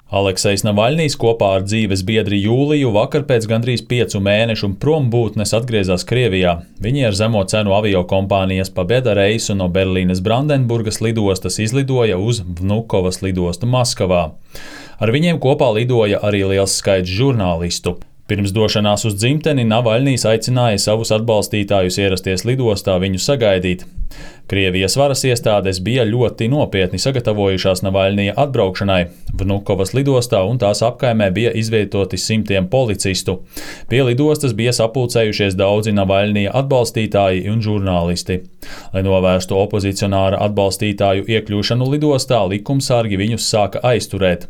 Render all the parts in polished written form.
Aleksejs Navaļnijs kopā ar dzīves biedri Jūliju vakar pēc gandrīz 5 mēnešu prombūtnes atgriezās Krievijā. Viņi ar zemo cenu aviokompānijas Pobeda reisu no Berlīnes Brandenburgas lidostas izlidoja uz Vnukovas lidostu Maskavā. Ar viņiem kopā lidoja arī liels skaits žurnālistu. Pirms došanās uz dzimteni Navaļnijs aicināja savus atbalstītājus ierasties lidostā viņu sagaidīt. Krievijas varas iestādes bija ļoti nopietni sagatavojušās Navaļnija atbraukšanai. Vnukovas lidostā un tās apkaimē bija izvietoti simtiem policistu. Pie lidostas bija sapulcējušies daudzi Navaļnija atbalstītāji un žurnālisti. Lai novērstu opozicionāra atbalstītāju iekļūšanu lidostā, likumsargi viņus sāka aizturēt.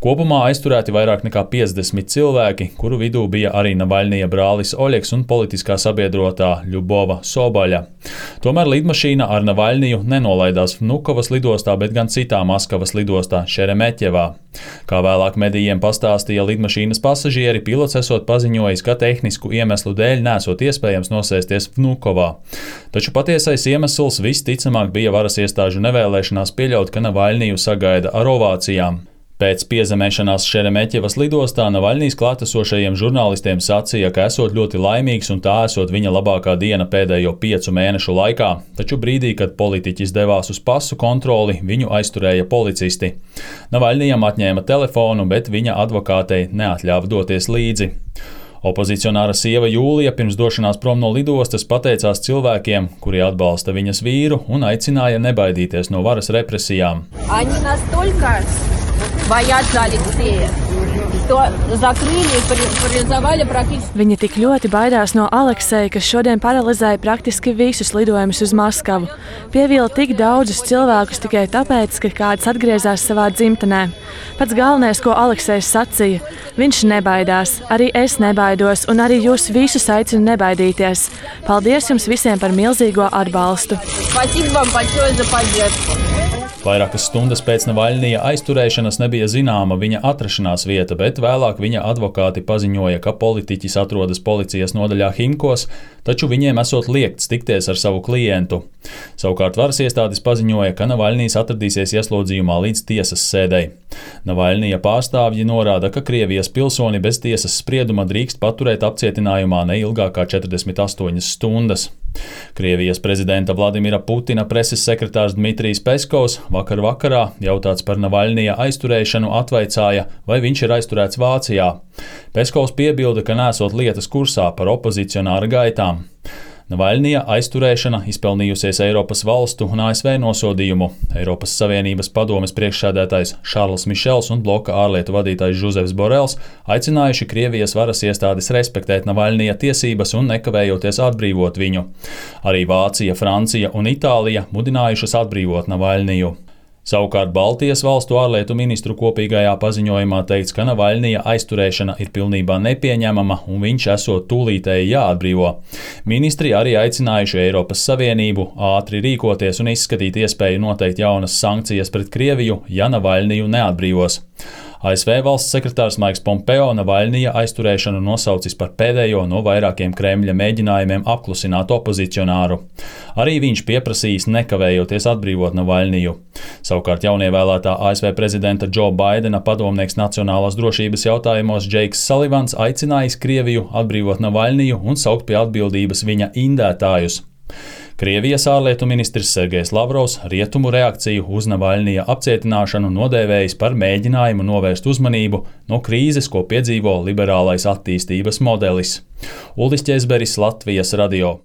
Kopumā aizturēti vairāk nekā 50 cilvēki, kuru vidū bija arī Navaļnija brālis Oļegs un politiskā sabiedrotā Ļubova Sobaļa. Tomēr lidmašīna ar Navaļniju nenolaidās Vnukovas lidostā, bet gan citā Maskavas lidostā Šeremeķevā. Kā vēlāk medijiem pastāstīja lidmašīnas pasažieri, pilots esot paziņojis, ka tehnisku iemeslu dēļ nesot iespējams nosēsties Vnukovā. Taču patiesais iemesls visticamāk bija varas iestāžu nevēlēšanās pieļaut, ka Navaļniju sagaida ar ovācijām. Pēc piezemēšanās Šeremeķevas lidostā Navaļnijs klātesošajiem žurnālistiem sacīja, ka esot ļoti laimīgs un tā esot viņa labākā diena pēdējo 5 mēnešu laikā, taču brīdī, kad politiķis devās uz pasu kontroli, viņu aizturēja policisti. Navaļnijam atņēma telefonu, bet viņa advokātei neatļāva doties līdzi. Opozicionāra sieva Jūlija pirms došanās prom no lidostas pateicās cilvēkiem, kuri atbalsta viņas vīru un aicināja nebaidīties no varas represijām. Viņi tik ļoti baidās no Alekseja, kas šodien paralizēja praktiski visus lidojumus uz Maskavu. Pievila tik daudzus cilvēkus tikai tāpēc, ka kāds atgriezās savā dzimtenē. Pats galvenais, ko Aleksejs sacīja, viņš nebaidās, arī es nebaidos un arī jūs visus aicinu nebaidīties. Paldies jums visiem par milzīgo atbalstu! Vairākas stundas pēc Navaļnija aizturēšanas nebija zināma viņa atrašanās vieta, bet vēlāk viņa advokāti paziņoja, ka politiķis atrodas policijas nodaļā Himkos, taču viņiem esot liegts tikties ar savu klientu. Savukārt varas iestādes paziņoja, ka Navaļnijs atradīsies ieslodzījumā līdz tiesas sēdei. Navaļnija pārstāvji norāda, ka Krievijas pilsoni bez tiesas sprieduma drīkst paturēt apcietinājumā neilgāk kā 48 stundas. Krievijas prezidenta Vladimira Putina preses sekretārs Dmitrijs Peskovs vakar vakarā, jautāts par Navaļnija aizturēšanu, atvaicāja, vai viņš ir aizturēts Vācijā. Peskovs piebilda, ka nesot lietas kursā par opozicionāra gaitām. Navaļnija aizturēšana izpelnījusies Eiropas valstu un ASV nosodījumu. Eiropas Savienības padomes priekšsēdētājs Šarls Mišels un bloka ārlietu vadītājs Žuzefs Borels aicinājuši Krievijas varas iestādes respektēt Navaļnija tiesības un nekavējoties atbrīvot viņu. Arī Vācija, Francija un Itālija mudinājušas atbrīvot Navaļniju. Savukārt Baltijas valstu ārlietu ministru kopīgajā paziņojumā teikts, ka Navaļnija aizturēšana ir pilnībā nepieņemama un viņš esot tūlītēji jāatbrīvo. Ministri arī aicinājuši Eiropas Savienību ātri rīkoties un izskatīt iespēju noteikt jaunas sankcijas pret Krieviju, ja Navaļniju neatbrīvos. ASV valsts sekretārs Maiks Pompeo Navaļnija aizturēšanu nosaucis par pēdējo no vairākiem Kremļa mēģinājumiem apklusināt opozicionāru. Arī viņš pieprasījis nekavējoties atbrīvot Navaļniju. Savukārt jaunievēlētā ASV prezidenta Džo Baidena padomnieks nacionālās drošības jautājumos Džeiks Salivans aicinājis Krieviju atbrīvot Navaļniju un saukt pie atbildības viņa indētājus. Krievijas ārlietu ministrs Sergejs Lavrovs rietumu reakciju uz Navaļnija apcietināšanu nodēvējis par mēģinājumu novērst uzmanību no krīzes, ko piedzīvo liberālais attīstības modelis. Uldis Ķezberis, Latvijas radio.